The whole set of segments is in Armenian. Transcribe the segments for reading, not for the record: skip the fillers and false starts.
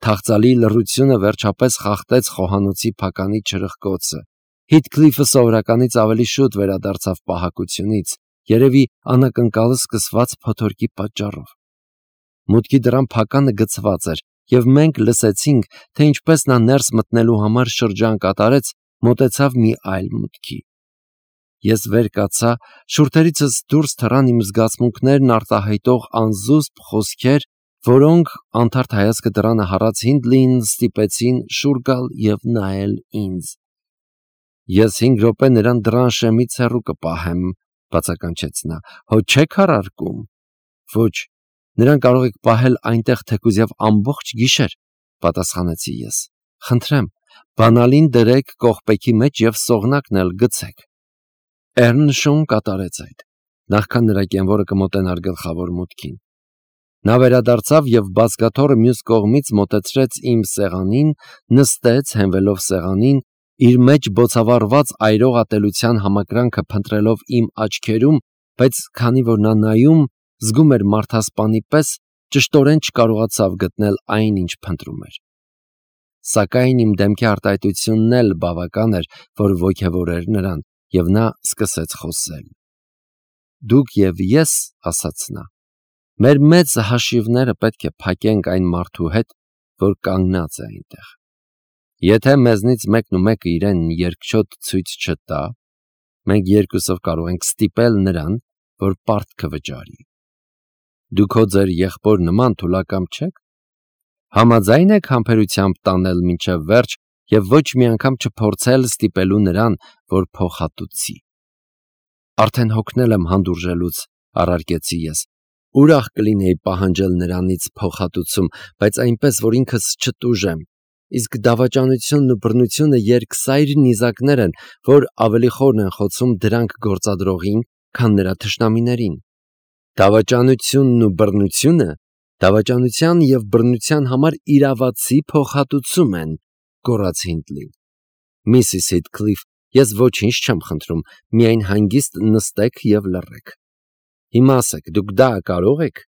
Թախծալի լռությունը վերջապես խախտեց խոհանոցի փականի չրխկոցը։ Հիթքլիֆը սովորականից ավելի շուտ վերադարձավ պահակությունից, երևի անակնկալը սկսված փոթորկի պատճառով։ Մուտքի դռան փականը գցված էր, և մենք լսեցինք, թե ինչպես նա ներս մտնելու համար շրջան կատարեց, մոտեցավ մի այլ մուտքի։ Ես վեր կացա, շուրթերիցս դուրս թռան իմ զգացմունքներն արտահայտող անզուսպ խոսքեր, որոնք, անթարթ հայացքը դռանը հառած Հինդլիին ստիպեցին շուռ գալ և նայել ինձ։ Ես 5 րոպե նրան դռան շեմից հեռու կպահեմ, բացականչեց նա։ Հո չեք առարկում։ Ոչ, նրան կարող եք պահել այնտեղ թեկուզև ամբողջ գիշեր, պատասխանեցի ես։ Խնդրեմ, բանալին դրեք կողպեքի մեջ և սողնակն էլ գցեք։ Էռնշոուն կատարեց այդ, նախքան նրա կենվորը կմոտենար գլխավոր մուտքին։ Նա վերադարձավ և բազկաթոռը մյուս կողմից մոտեցրեց իմ սեղանին, նստեց, հենվելով սեղանին, իր մեջ բոցավառված այրող ատելության համակրանքը փնտրելով իմ աչքերում, բայց քանի որ նա նայում, զգում էր մարդասպանի պես, ճշտորեն չկարողացավ գտնել այն, ինչ փնտրում էր։ Սակայն իմ դեմքի արտահայտությունն էլ բավական էր, որ ոգևորեր նրան, և նա սկսեց խոսել։ Դուք և ես, ասաց նա, մեր մեծ հաշիվները պետք է փակենք այն մարդու հետ, որ կանգնած է այնտեղ։ Եթե մեզնից մեկը իրեն երկչոտ ցույց չտա, մենք երկուսով կարող ենք ստիպել նրան, որ պարտքը վճարի։ Դուք հո ձեր եղբոր նման թուլակամ չեք։ Համաձայն եք համբերությամբ տանել մինչև վերջ և ոչ մի անգամ չփորձել ստիպելու նրան, որ փոխհատուցի։ Արդեն հոգնել եմ հանդուրժելուց, առարկեցի ես։ Ուրախ կլինեի պահանջել նրանից փոխհատուցում, բայց այնպես, որ ինքս չտուժեմ։ Իսկ դավաճանությունն ու բռնությունը երկսայր նիզակներ են, որ ավելի խորն են խոցում դրանք գործադրողին, քան նրա թշնամիներին։ Դավաճանությունն ու բռնությունը դավաճանության և բռնության համար իրավացի փոխհատուցում են, գոռաց Հինդլին։ Միսիս Հիթքլիֆ, ես ոչինչ չեմ խնդրում, միայն հանգիստ նստեք և լռեք։ Հիմա ասեք, դուք դա կարող եք։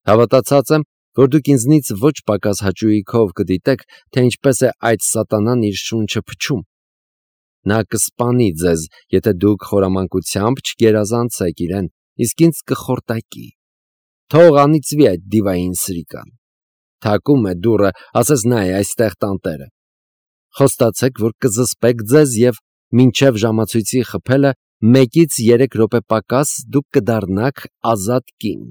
Հավատացած եմ, որ դուք ինձնից ոչ պակաս հաճույքով կդիտեք, թե ինչպես է այդ սատանան իր շունչը փչում։ Նա կսպանի ձեզ, եթե դուք խորամանկությամբ չգերազանցեք իրեն, իսկ ինձ կխորտակի։ Թող անիծվի այդ դիվային սրիկան։ Թակում է դուռը, ասես նա է այստեղ տանտերը։ Խոստացեք, որ կզսպեք ձեզ և մինչև ժամացույցի խփելը 1-ից 3 րոպե պակաս դուք կդառնաք ազատ կին։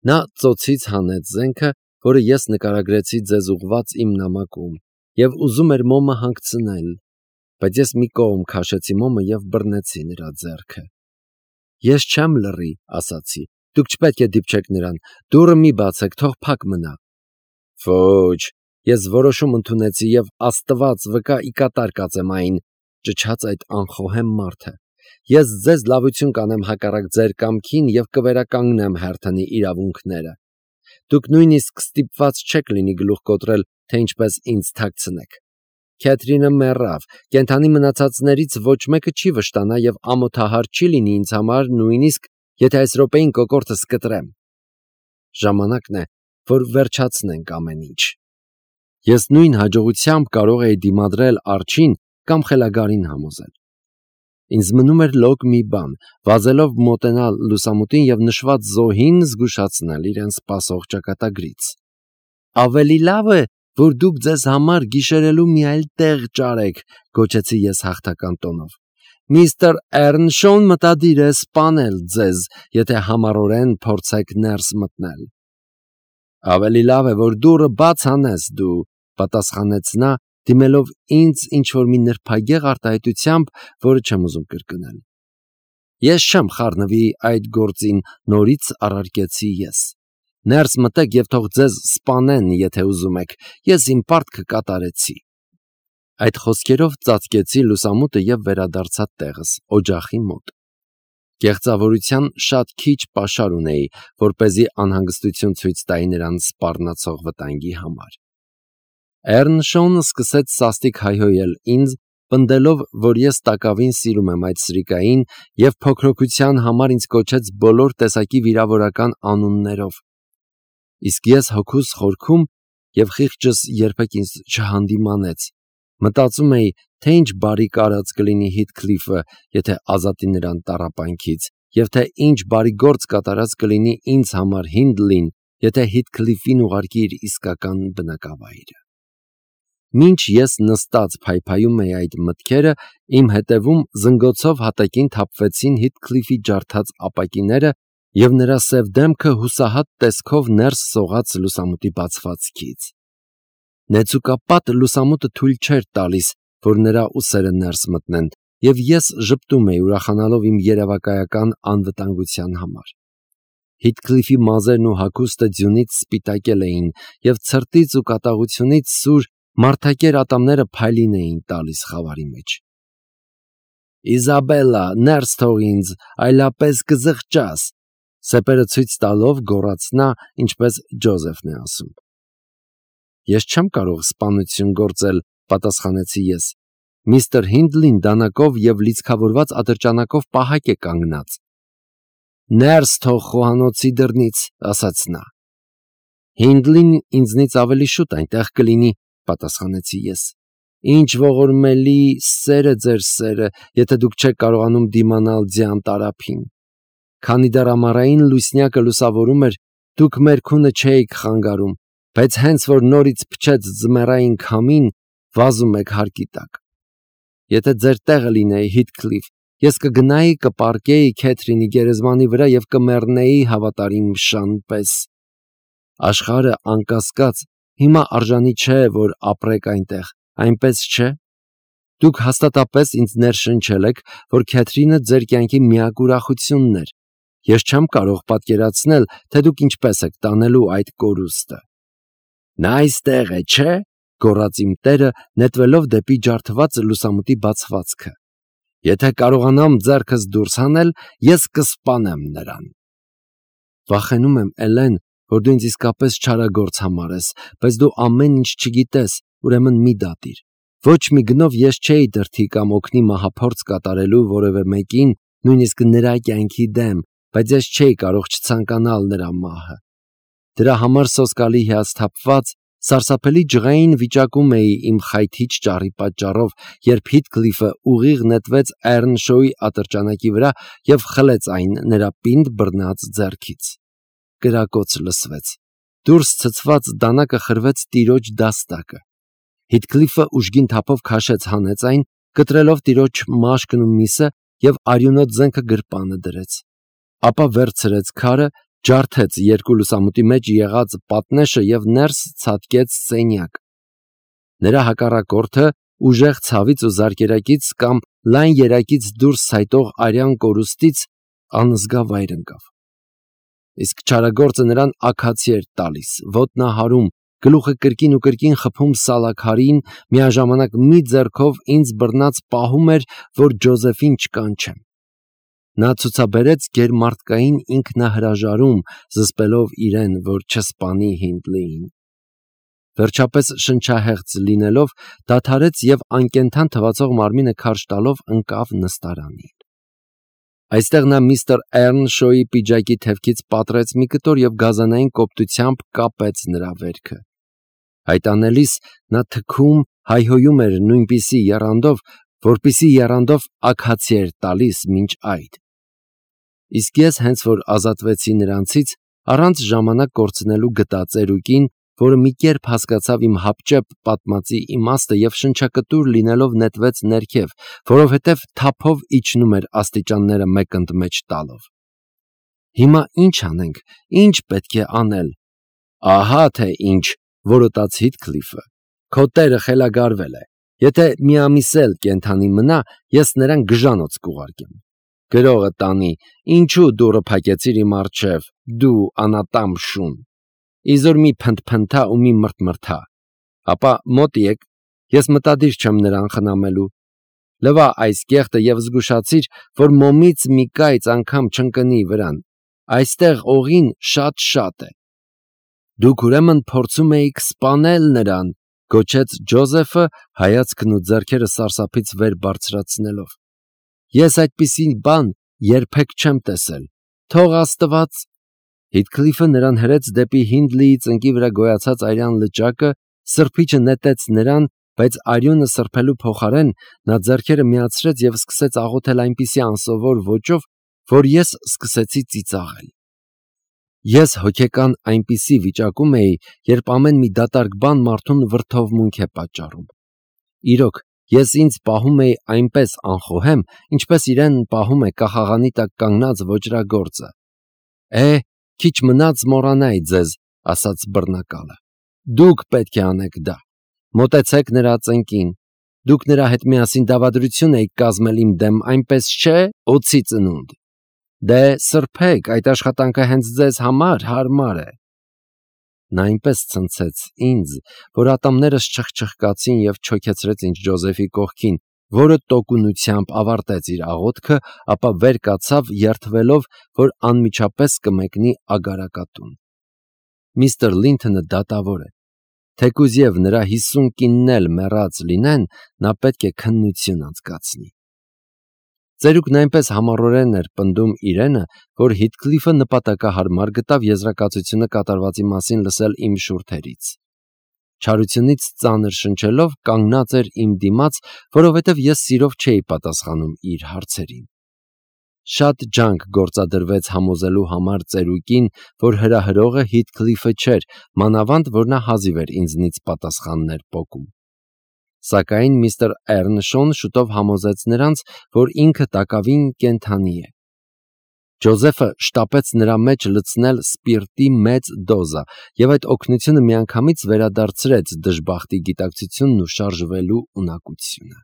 Նա ծոցից հանեց զենքը, որը ես նկարագրեցի ձեզ ուղված իմ նամակում, և ուզում էր մոմը հանգցնել, բայց ես մի կողմ քաշեցի մոմը և բռնեցի նրա ձեռքը։ Ես չեմ լռի, ասացի, դուք չպետք է դիպչեք նրան, դուռը մի բացեք, թող փակ մնա։ Ոչ, ես որոշում ընդունեցի և Աստված վկա ի կատար կածեմ այն, ճչաց այդ անխոհեմ մարդը։ Ես ձեզ լավություն կանեմ հակառակ ձեր կամքին և կվերականգնեմ Հերթոնի իրավունքները։ Դուք նույնիսկ ստիպված չեք լինի գլուխ կոտրել, թե ինչպես ինձ թաքցնեք։ Քեթրինը մեռավ, կենդանի մնացածներից ոչ մեկը չի վշտանա և ամոթահար չի լինի ինձ համար, նույնիսկ եթե այս րոպեին կոկորդս կտրեմ։ Ժամանակն է, որ վերջացնենք ամեն ինչ։ Ես նույն հաջողությամբ կարող էի դիմադրել արջին կամ խելագարին համոզել։ Ինձ մնում էր լոկ մի բան, վազելով մոտենալ լուսամուտին և նշված զոհին զգուշացնել իրեն սպասող ճակատագրից։ Ավելի լավ է, որ դուք ձեզ համար գիշերելու մի այլ տեղ ճարեք, գոչեցի ես հաղթական տոնով։ Միստր Էռնշոուն մտադիր է սպանել ձեզ, եթե համառորեն փորձեք ներս մտնել։ Ավելի լավ է, որ դուռը բաց անես դու, պատասխանեց նա, դիմելով ինձ ինչ-որ մի նրբագեղ արտահայտությամբ, որը չեմ ուզում կրկնել։ Ես չեմ խառնվի այդ գործին, նորից առարկեցի ես։ Ներս մտեք և թող ձեզ սպանեն, եթե ուզում եք, ես իմ պարտքը կատարեցի։ Այդ խոսքերով ծածկեցի լուսամուտը և վերադարձա տեղս, օջախի մոտ։ Կեղծավորության շատ քիչ պաշար ունեի, որպեսզի անհանգստություն ցույց տայի նրան սպառնացող վտանգի համար։ Էռնշոուն սկսեց սաստիկ հայհոյել ինձ, պնդելով, որ ես տակավին սիրում եմ այդ սրիկային և փոքրոքության համար ինձ կոչեց բոլոր տեսակի վիրավորական անուններով։ Իսկ ես հոգուս խորքում և խիղճս երբեք ինձ չհանդիմանեց։ Մտածում էի, թե ինչ բարի կարած կլինի Հիթքլիֆը, եթե ազատի նրան տառապանքից, և թե ինչ բարի գործ կատարած կլինի ինձ համար Հինդլին, եթե Հիթքլիֆին ուղարկի իր իսկական բնակավայրը։ Մինչ ես նստած փայփայում էի այդ մտքերը, իմ հետևում զնգոցով հատակին թափվեցին Հիթքլիֆի ջարդած ապակիները, և նրա սև դեմքը հուսահատ տեսքով ներս սողաց լուսամուտի բացվածքից։ Նեցուկապատ լուսամուտը թույլ չէր տալիս, որ նրա ուսերը ներս մտնեն, և ես ժպտում էի, ուրախանալով իմ երևակայական անվտանգության համար։ Հիթքլիֆի մազերն ու հագուստը ձյունից սպիտակել էին, և ցրտից ու կատաղությունից սուր մարդակեր ատամները փայլին էին տալիս խավարի մեջ։ «Իզաբելլա, ներս թող ինձ, այլապես կզղջաս», սեպերը ցույց տալով գոռաց նա, ինչպես Ջոզեֆն է ասում։ «Ես չեմ կարող սպանություն գործել», պատասխանեցի ես։ «Միստր Հինդլին դանակով և լիցքավորված ատրճանակով պահակ է կանգնած»։ «Ներս թող խոհանոցի դռնից», ասաց նա։ «Հինդլին ինձնից ավելի շուտ այնտեղ կլինի», պատասխանեցի ես։ «Ինչ ողորմելի սեր է ձեր սերը, եթե դուք չեք կարողանում դիմանալ ձյան տարափին։ Քանի դեռ ամառային լուսնյակը լուսավորում էր, դուք մեր քունը չէիք խանգարում, բայց հենց որ նորից փչեց ձմեռային քամին, վազում եք հարկի տակ։ Եթե ձեր տեղը լինեի, Հիթքլիֆ, ես կգնայի կպառկեի Քեթրինի գերեզմանի վրա և կմեռնեի հավատարիմ շան պես։ Աշխարհը անկասկած հիմա արժանի չէ, որ ապրեք այնտեղ, այնպես չէ։ Դուք հաստատապես ինձ ներշնչել եք, որ Քեթրինը ձեր կյանքի միակ ուրախությունն էր։ Ես չեմ կարող պատկերացնել, թե դուք ինչպես եք տանելու այդ կորուստը»։ «Նա այստեղ է, չէ՞», գոռաց իմ տերը, նետվելով դեպի ջարդված լուսամուտի բացվածքը։ «Եթե կարողանամ ձեռքս դուրս հանել, ես կսպանեմ նրան»։ «Վախենում եմ, Էլեն, որ դու ինձ իսկապես չարագործ համարես, բայց դու ամեն ինչ չգիտես, ուրեմն մի դատիր։ Ոչ մի գնով ես չէի դրդի կամ օգնի մահափորձ կատարելու որևէ մեկին, նույնիսկ նրա կյանքի դեմ, բայց ես չէի կարող չցանկանալ նրա մահը։ Դրա համար սոսկալի հիասթափված, սարսափելի ջղային վիճակում էի իմ խայթիչ ճառի պատճառով, երբ Հիթքլիֆը ուղիղ նետվեց Էռնշոուի ատրճանակի վրա և խլեց այն նրա պինդ բռնած ձեռքից։ Կրակոց լսվեց։ Դուրս ցցված դանակը խրվեց տիրոջ դաստակը։ Հիթքլիֆը ուժգին թափով քաշեց հանեց այն, կտրելով տիրոջ մաշկն ու միսը և արյունոտ զենքը գրպանը դրեց։ Ապա վերցրեց քարը, ջարդեց երկու լուսամուտի մեջ եղած պատնեշը և ներս ցատկեց սենյակ։ Նրա հակառակորդը ուժեղ ցավից ու զարկերակից կամ լայն երակից դուրս ցայտող արյան կորուստից անզգա վայր ընկավ։ Իսկ չարագործը նրան աքացի էր տալիս, ոտնահարում, գլուխը կրկին ու կրկին խփում սալաքարին, միաժամանակ մի ձեռքով ինձ բռնած պահում էր, որ Ջոզեֆին չկանչեմ։ Նա ցուցաբերեց գերմարդկային ինքնահրաժարում, զսպելով իրեն, որ չսպանի Հինդլիին։ Վերջապես շնչահեղձ լինելով, դադարեց և անկենդան թվացող մարմինը քարշ տալով ընկավ նստարանին։ Այստեղ նա միստր Էռնշոուի պիջակի թևքից պատռեց մի կտոր և գազանային կոպտությամբ կապեց նրա վերքը։ Այդ անելիս նա թքում, հայհոյում էր նույնպիսի եռանդով, որպիսի եռանդով աքացի էր տալիս մինչ այդ։ Իսկ ես հենց որ ազատվեցի նրանցից, առանց ժամանակ կորցնելու գտա ծերուկին, որը մի կերպ հասկացավ իմ հապճեպ պատմածի իմաստը և շնչակտուր լինելով նետվեց ներքև, որովհետև թափով իջնում էր աստիճանները մեկընդմեջ տալով։ «Հիմա ինչ անենք, ինչ պետք է անել»։ «Ահա թե ինչ», որոտաց Հիթքլիֆը։ «Քո տերը խելագարվել է։ Եթե մի ամիս էլ կենդանի մնա, ես նրան գժանոց կուղարկեմ։ Գրողը տանի, ինչու դուռը փակեցիր իմ առջև, դու անատամ շուն։ Իզուր մի փնթփնթա ու մի մրթմրթա։ Ապա մոտ եք, ես մտադիր չեմ նրան խնամելու։ Լվա այս կեղտը և զգուշացիր, որ մոմից մի կայծ անգամ չընկնի վրան։ Այստեղ օղին շատ է»։ «Դուք ուրեմն փորձում էիք սպանել նրան», գոչեց Ջոզեֆը, հայացքն ու ձեռքերը սարսափից վեր բարձրացնելով։ «Ես այդպիսի բան երբեք չեմ տեսել։ Թող Աստված»։ Հիթքլիֆը նրան հրեց դեպի Հինդլիի ծնկի վրա գոյացած արյան լճակը, սրբիչը նետեց նրան, բայց արյունը սրբելու փոխարեն նա ձեռքերը միացրեց և սկսեց աղոթել այնպիսի անսովոր ոճով, որ ես սկսեցի ծիծաղել։ Ես հոգեկան այնպիսի վիճակում էի, երբ ամեն մի դատարկ բան մարդուն վրդովմունք է պատճառում։ Իրոք, ես ինձ պահում էի այնպես անխոհեմ, ինչպես իրեն պահում է կախաղանի տակ կանգնած ոճրագործը։ Քիչ մնաց մոռանայի ձեզ, ասաց բռնակալը։ Դուք պետք է անեք դա։ Մոտեցեք նրա ծնկին։ Դուք նրա հետ միասին դավադրություն եք կազմել իմ դեմ, այնպես չէ, օձի ծնունդ։ Դե սրբեք, այդ աշխատանքը հենց ձեզ համար հարմար է։ Նա այնպես ցնցեց ինձ, որ ատամներս չխչխկացին և չոքեցրեց ինձ Ջոզեֆի կողքին, որը տոկունությամբ ավարտեց իր աղոթքը, ապա վեր կացավ, երդվելով, որ անմիջապես կմեկնի ագարակատուն։ Միստր Լինթոնը դատավոր է։ Թեկուզ և նրա 50 կինն էլ մեռած լինեն, նա պետք է քննություն անցկացնի։ Ծերուկն այնպես համառորեն էր պնդում իրենը, որ Հիթքլիֆը նպատակահարմար գտավ եզրակացությունը կատարվածի մասին լսել իմ շուրթերից։ Չարությունից ծանր շնչելով կանգնած էր իմ դիմաց, որովհետև ես սիրով չէի պատասխանում իր հարցերին։ Շատ ջանք գործադրվեց համոզելու համար ծերուկին, որ հրահրողը Հիթքլիֆը չէր, մանավանդ որ նա հազիվ էր ինձնից պատասխաններ պոկում։ Սակայն միստր Էռնշոն շուտով համոզեց նրանց, որ ինքը տակավին կենդանի է։ Ջոզեֆը շտապեց նրա մեջ լցնել սպիրտի մեծ դոզա, և այդ օգնությունը միանգամից վերադարձրեց դժբախտի գիտակցությունն ու շարժվելու ունակությունը։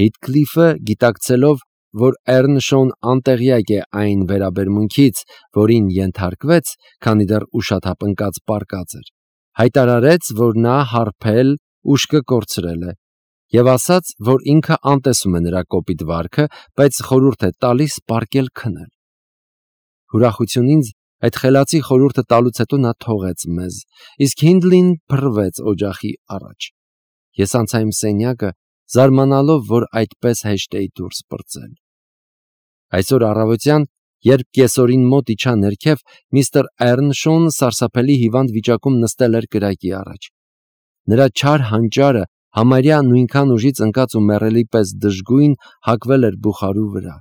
Հիթքլիֆը, գիտակցելով, որ Էռնշոն անտեղյակ է այն վերաբերմունքից, որին ենթարկվեց, քանի դեռ ուշաթափ ընկած պառկած էր, հայտարարեց, որ նա հարբել, ուշքը կորցրել է, և ասաց, որ ինքը անտեսում է նրա կոպիտ վարքը, բայց խորհուրդ է տալիս պառկել քնել։ Ուրախություն ինձ այդ խելացի խորհուրդը տալուց հետո նա թողեց մեզ, իսկ Հինդլին փռվեց օջախի առաջ։ Ես անցա իմ սենյակը, զարմանալով, որ այդպես հեշտ էի դուրս պրծել։ Այսօր առավոտյան, երբ կեսօրին մոտ իջա ներքև, միստր Էռնշոն սարսափելի հիվանդ վիճակում նստել էր կրակի առաջ։ Նրա չար հանճարը համարյա նույնքան ուժից ընկած ու մեռելի պես դժգույն հակվել էր բուխարու վրա։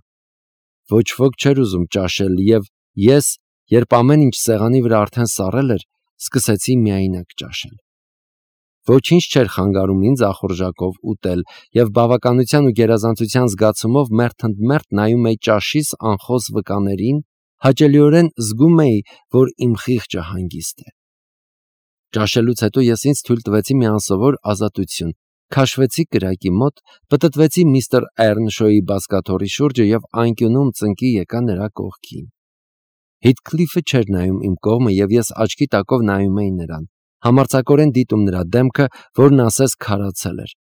Ոչ ոք չէր ուզում ճաշել, և ես, երբ ամեն ինչ սեղանի վրա արդեն սառել էր, սկսեցի միայնակ ճաշել։ Ոչինչ չէր խանգարում ինձ ախորժակով ուտել, և բավականության ու գերազանցության զգացումով մերթընդմերթ նայում էի ճաշիս անխոս վկաներին, հաճելիորեն զգում էի, որ իմ խիղճը հանգիստ է։ Ճաշելուց հետո ես ինձ թույլ տվեցի մի անսովոր ազատություն, քաշվեցի կրակի մոտ, պտտվեցի միստր Էռնշոյի բազկաթոռի շուրջը և անկյունում ծնկի եկա նրա կողքին։ Հիթքլիֆը չէր նայում իմ կողմը, և ես աչքի տակով նայում էի նրան, համարձակորեն դիտում նրա դեմքը, որն ասես քարացել էր։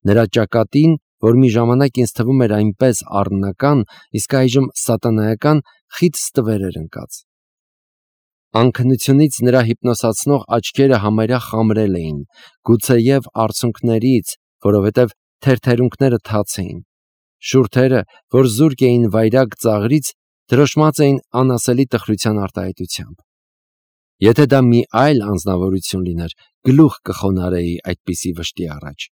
Նրա ճակատին, որ մի ժամանակ ինձ թվում էր այնպես առնական, իսկ այժմ սատանայական, խիտ ստվեր էր ընկած։ Անքնությունից նրա հիպնոսացնող աչքերը համարյա խամրել էին, գուցեև արցունքներից, որովհետև թերթերունքները թաց էին։ Շուրթերը, որ զուրկ էին վայրագ ծաղրից, դրոշմած էին անասելի տխրության արտահայտությամբ։ Եթե դա մի այլ անձնավորություն լիներ, գլուխ կխոնարհեի այդպիսի վշտի առաջ։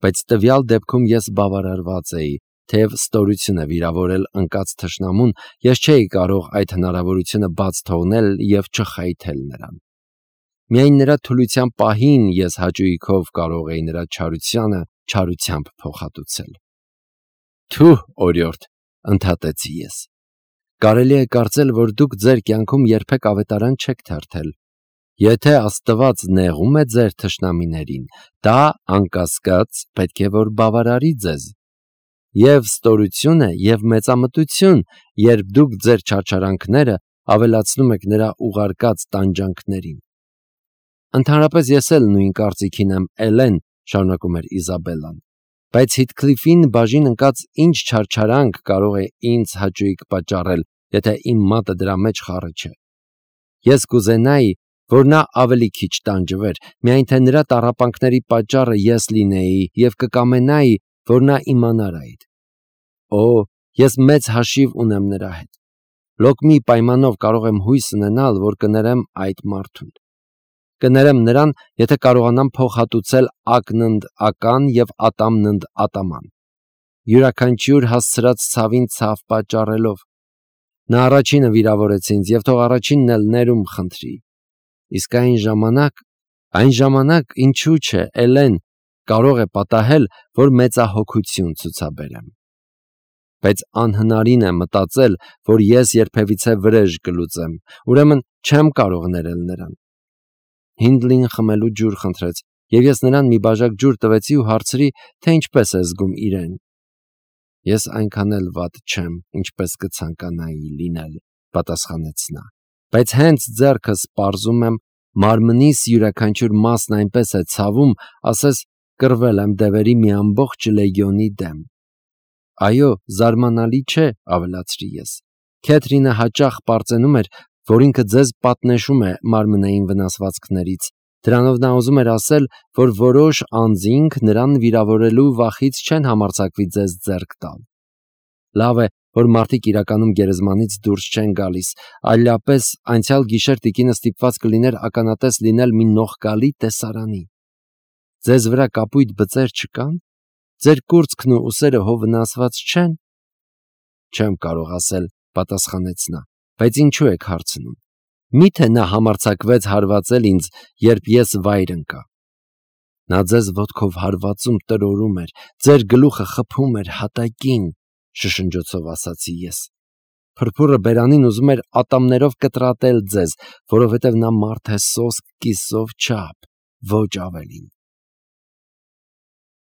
Բայց տվյալ դեպքում ես բավարարված էի, թեև ստորություն է վիրավորել ընկած թշնամուն, ես չէի կարող այդ հնարավորությունը բաց թողնել և չխայթել նրան։ Միայն նրա թուլության պահին ես հաճույքով կարող էի նրա չարությանը չարությամբ փոխհատուցել։ Թուհ, օրիորդ, ընդհատեցի ես։ Կարելի է կարծել, որ դուք ձեր կյանքում երբեք ավետարան չեք թերթել։ Եթե Աստված նեղում է ձեր թշնամիներին, դա անկասկած պետք է որ բավարարի ձեզ։ Եվ ստորություն է, և մեծամտություն, երբ դուք ձեր չարչարանքները ավելացնում եք նրա ուղարկած տանջանքներին։ Ընդհանրապես ես էլ նույն կարծիքին եմ, Էլեն, շարունակում էր Իզաբելլան, բայց Հիթքլիֆին բաժին ընկած ինչ չարչարանք կարող է ինձ հաճույք պատճառել, եթե իմ մատը դրա մեջ խառը չէ։ Ես կուզենայի, որ նա ավելի քիչ տանջվեր, միայն թե նրա տառապանքների պատճառը ես լինեի, և կկամենայի, որ նա իմանար այդ։ Օ, ես մեծ հաշիվ ունեմ նրա հետ։ Լոկմի պայմանով կարող եմ հույս ունենալ, որ կներեմ այդ մարդուն։ Կներեմ նրան, եթե կարողանամ փոխհատուցել ակնընդ ական և ատամնընդ ատաման, յուրաքանչյուր հասցրած ցավին ցավ պատճառելով։ Նա առաջինը վիրավորեց ինձ և թող առաջինն էլ ներում խնդրի։ Իսկ այն ժամանակ ինչու՞ չէ, Էլեն, կարող է պատահել, որ մեծահոգություն ցուցաբերեմ։ Բայց անհնարին է մտածել, որ ես երբևիցե վրեժ կլուծեմ, ուրեմն չեմ կարող ներել նրան։ Հինդլին խմելու ջուր խնդրեց, և ես նրան մի բաժակ ջուր տվեցի ու հարցրի, թե ինչպես է զգում իրեն։ Ես այնքան էլ վատ չեմ, ինչպես կցանկանայի լինել, պատասխանեց նա, բայց հենց ձեռքս պարզում եմ, մարմնիս յուրաքանչյուր մասն այնպես է ցավում, ասես կռվել եմ դևերի մի ամբողջ լեգիոնի դեմ։ Այո, զարմանալի չէ, ավելացրի ես։ Քեթրինը հաճախ պարծենում էր, որ ինքը ձեզ պատնեշում է մարմնային վնասվածքներից։ Դրանով նա ուզում էր ասել, որ որոշ անձինք նրան վիրավորելու վախից չեն համարձակվի ձեզ ձեռք տալ։ Լավ է, որ մարդիկ իրականում գերեզմանից դուրս չեն գալիս, այլապես անցյալ գիշեր տիկինը ստիպված կլիներ ականատես լինել մի նողկալի տեսարանի։ Ձեզ վրա կապույտ բծեր չկա՞ն։ Ձեր կուրծքն ու ուսերը հո վնասված չեն։ Չեմ կարող ասել, պատասխանեց նա, բայց ինչու եք հարցնում։ Մի՞թե նա համարձակվեց հարվածել ինձ, երբ ես վայր ընկա։ Նա ձեզ ոտքով հարվածում տրորում էր, ձեր գլուխը խփում էր հատակին, շշնջոցով ասացի ես։ Փրփուրը բերանին ուզում էր ատամներով կտրատել ձեզ, որովհետև նա մարդ է սոսկ կիսով չափ, ոչ ավելին։